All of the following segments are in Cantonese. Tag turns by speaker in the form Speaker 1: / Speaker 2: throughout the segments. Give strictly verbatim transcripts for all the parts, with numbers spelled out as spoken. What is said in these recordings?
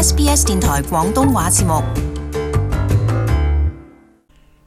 Speaker 1: S B S 電台廣東話節目。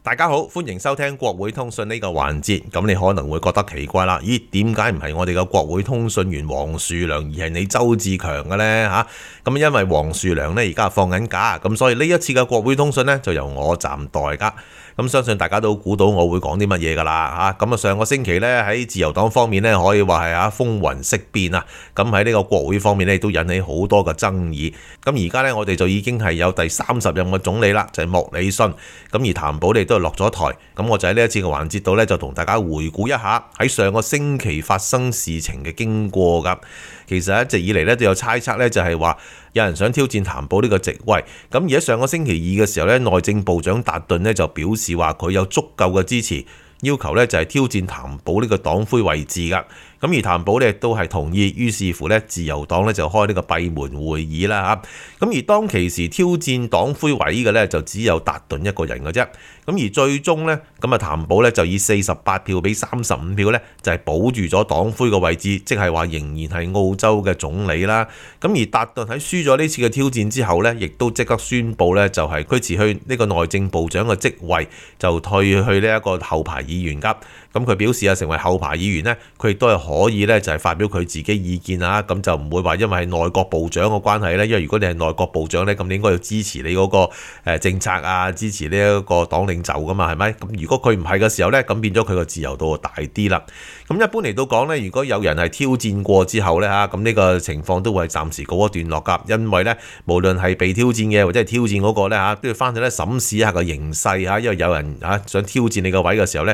Speaker 2: 大家好，歡迎收聽國會通訊呢個環節。咁你可能會覺得奇怪啦，咦？點解唔係我哋嘅國會通訊員黃樹良，而係你周志強嘅呢？吓、啊，咁因為黃樹良呢而家放緊假，咁所以呢一次嘅國會通訊呢就由我暫代噶。咁相信大家都估到我會講啲乜嘢噶啦嚇。咁啊上個星期呢，喺自由黨方面呢，可以話係啊風雲色變啊。咁喺呢個國會方面呢，都引起好多嘅爭議。咁而家呢，我哋就已經係有第三十任嘅總理啦，就係、是、莫里遜。咁而譚寶利都係落咗台。咁我就喺呢一次嘅環節度呢，就同大家回顧一下喺上個星期發生事情嘅經過噶。其實一直以嚟呢，都有猜測呢，就係話有人想挑戰譚寶呢個職位。咁而喺上個星期二嘅時候呢，內政部長達頓呢就表示話佢有足夠嘅支持，要求呢就係挑戰譚寶呢個黨魁位置噶。咁而譚寶呢亦都係同意，於是乎呢自由黨呢就開呢個閉門會議啦嚇。咁而當其時挑戰黨魁位嘅呢，就只有達頓一個人嘅啫。咁而最終呢，咁啊譚寶呢就以四十八票比三十五票呢，就係保住咗黨魁嘅位置，即係話仍然係澳洲嘅總理啦。咁而達頓喺輸咗呢次嘅挑戰之後呢，亦都即刻宣布呢，就係佢辭去呢個內政部長嘅職位，就退去呢一個後排議員㗎。咁佢表示啊，成為後排議員呢，佢亦都係可以呢，就係發表佢自己意見啊。咁就唔會話因為係內閣部長嘅關係呢，因為如果你係內閣部長呢，咁你應該要支持你嗰個誒政策啊，支持呢一個黨領袖噶嘛，係咪？咁如果佢唔係嘅時候呢，咁變咗佢個自由度大啲啦。咁一般嚟到講呢，如果有人係挑戰過之後呢，嚇，咁呢個情況都會係暫時告一段落㗎，因為呢，無論係被挑戰嘅或者係挑戰嗰個呢，嚇，都要翻去咧審視一下個形勢嚇，因為有人嚇想挑戰你個位嘅時候呢，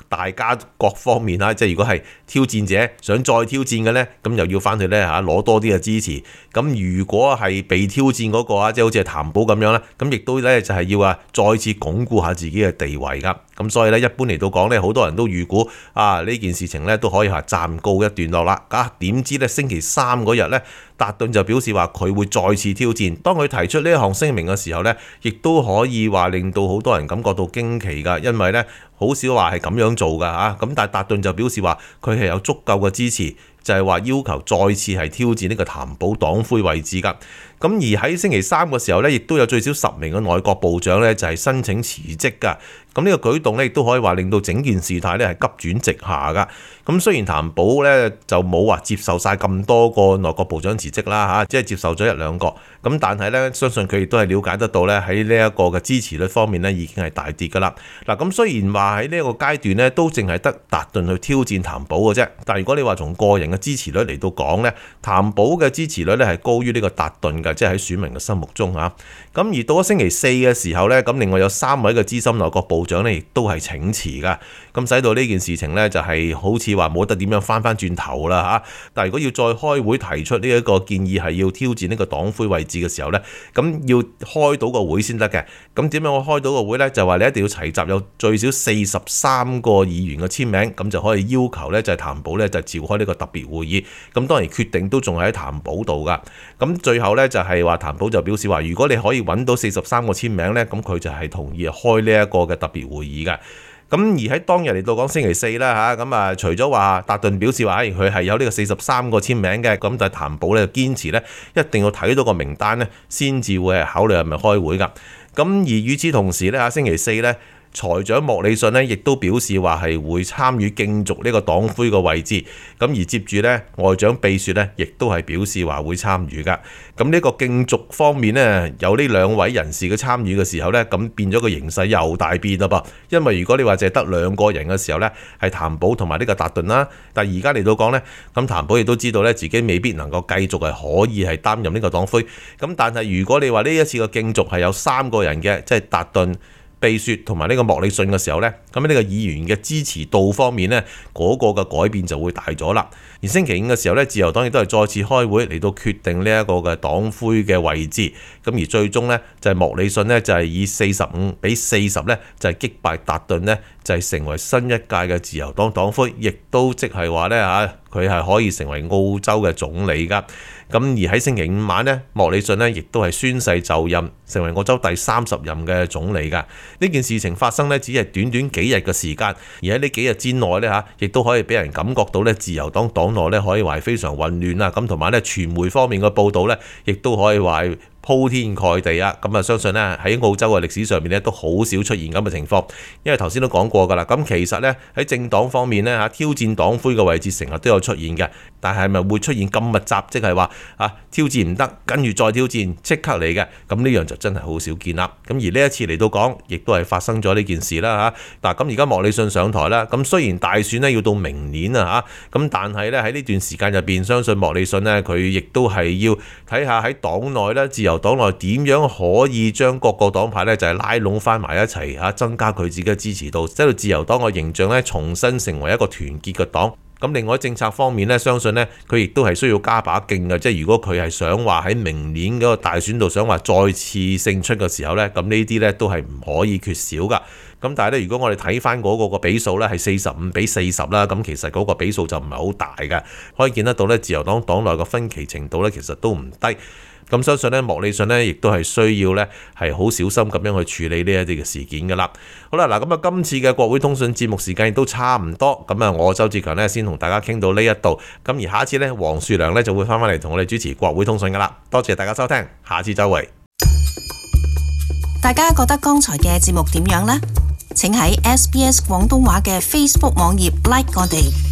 Speaker 2: 大家各方面嚇，即係如果係挑戰者想再挑戰嘅呢，咁又要翻去呢嚇攞多啲嘅支持。咁如果係被挑戰嗰個啊，即係好似係譚寶咁樣啦，咁亦都呢就係要啊再次鞏固下自己嘅地位㗎。咁所以呢，一般嚟到講呢，好多人都預估啊呢件事情呢都可以話暫告一段落啦。啊點知呢，星期三嗰日呢，達頓就表示話佢會再次挑戰。當佢提出呢一項聲明嘅時候呢，亦都可以話令到好多人感覺到驚奇㗎，因為呢，好少話係咁樣做㗎嚇。咁但係達頓就表示話佢係有足夠嘅支持，就係話要求再次係挑戰呢個譚寶黨魁位置㗎。咁而喺星期三嘅時候呢，亦都有最少十名嘅內閣部長呢，就係申請辭職㗎。咁呢個舉動呢，亦都可以話令到整件事態呢係急轉直下㗎。咁雖然譚寶呢就冇話接受晒咁多個內閣部長辭職啦嚇，即係接受咗一兩個。咁但係呢，相信佢亦都係了解得到呢，喺呢一個嘅支持率方面呢已經係大跌㗎啦。嗱，咁雖然話喺呢一個階段呢都淨係得達頓去挑戰譚寶嘅啫，但係如果你話從個人嘅支持率嚟到講呢，譚寶嘅支持率呢係高於呢個達頓嘅，即係喺選民嘅心目中嚇。咁而到咗星期四嘅時候呢，咁另外有三位嘅資深內閣部長呢亦都係請辭㗎，咁使到呢件事情呢就係好似話冇得點樣翻翻轉頭啦嚇。但係如果要再開會提出呢一個建議係要挑戰呢個黨魁位置嘅時候呢，咁要開到個會先得嘅。咁點樣我開到個會呢？就話你一定要齊集有最少四十三個議員嘅簽名，咁就可以要求呢就係譚寶呢就召開呢個特別會議。咁當然決定都仲係喺譚寶度㗎。咁最後呢就係話譚寶就表示話，如果你可以揾到四十三個簽名呢，咁佢就係同意開呢一個嘅特別會議㗎。咁而喺當日嚟到講星期四啦嚇，咁啊除咗話達頓表示話佢係有呢個四十三個簽名嘅，咁但係譚寶咧堅持咧一定要睇到個名單咧，先至會係考慮係咪開會㗎。咁而與此同時咧嚇，星期四咧，財長莫里遜呢亦都表示話係會參與競逐呢個黨魁個位置。咁而接住呢，外長秘書呢亦都係表示話會參與㗎。咁呢個競逐方面呢，有呢兩位人士嘅參與嘅時候呢，咁變咗個形勢又大變啦噃。因為如果你話淨係得兩個人嘅時候呢，係譚寶同埋呢個達頓啦。但係而家嚟到講呢，咁譚寶亦都知道呢，自己未必能夠繼續係可以係擔任呢個黨魁。咁但係如果你話呢一次嘅競逐係有三個人嘅，即係達頓、秘書同埋呢個莫里遜嘅時候呢，咁呢個議員嘅支持度方面呢，嗰、那個嘅改變就會大咗啦。而星期五嘅時候呢，自由黨亦都係再次開會嚟到決定呢一個嘅黨魁嘅位置。咁而最終呢，就係、是、莫里遜呢，就係、是、以四十五比四十呢，就係、是、擊敗達頓呢，就係、是、成為新一屆嘅自由黨黨魁，亦都即係話呢，嚇佢係可以成為澳洲嘅總理㗎。咁而喺星期五晚呢，莫里遜呢亦都係宣誓就任，成為澳洲第三十任嘅總理㗎。呢件事情發生呢，只係短短幾日嘅時間，而喺呢幾日之內呢，嚇，亦都可以俾人感覺到呢，自由黨黨內呢可以話係非常混亂啦。咁同埋呢，傳媒方面嘅報導呢，亦都可以話係鋪天蓋地啊！咁啊，相信呢喺澳洲嘅歷史上面呢都好少出現咁嘅情況，因為頭先都講過㗎啦。咁其實呢喺政黨方面呢，嚇挑戰黨魁嘅位置成日都有出現嘅，但係咪會出現咁密集，即係話啊挑戰唔得，跟住再挑戰即刻嚟嘅？咁呢樣就真係好少見啦。咁而呢一次嚟到講，亦都係發生咗呢件事啦嚇。嗱，咁而家莫里遜上台啦，咁雖然大選呢要到明年啊嚇，咁但係呢喺呢段時間入邊，相信莫里遜呢，佢亦都係要睇下喺黨內呢，自由黨內點樣可以將各個黨派呢就係拉攏翻埋一齊嚇，增加佢自己嘅支持度，使到自由黨嘅形象呢重新成為一個團結嘅黨。咁另外政策方面呢，相信呢，佢亦都係需要加把勁嘅，即係如果佢係想話喺明年嗰個大選度想話再次勝出嘅時候呢，咁呢啲呢都係唔可以缺少噶。咁但係咧，如果我哋睇翻嗰個個比數呢，係四十五比四十啦，咁其實嗰個比數就唔係好大嘅，可以見得到呢，自由黨黨內嘅分歧程度呢，其實都唔低。咁相信咧，莫里遜咧亦都係需要咧係好小心咁樣去處理呢一啲嘅事件噶啦。好啦，嗱咁啊，今次嘅國會通訊節目時間亦都差唔多，咁啊，我周志強咧先同大家傾到呢一度，咁而下一次咧，黃樹良咧就會翻返嚟同我哋主持國會通訊噶啦。多謝大家收聽，下次再會。
Speaker 1: 大家覺得剛才嘅節目點樣呢？請喺 S B S 廣東話嘅 Facebook 網頁 like 我哋。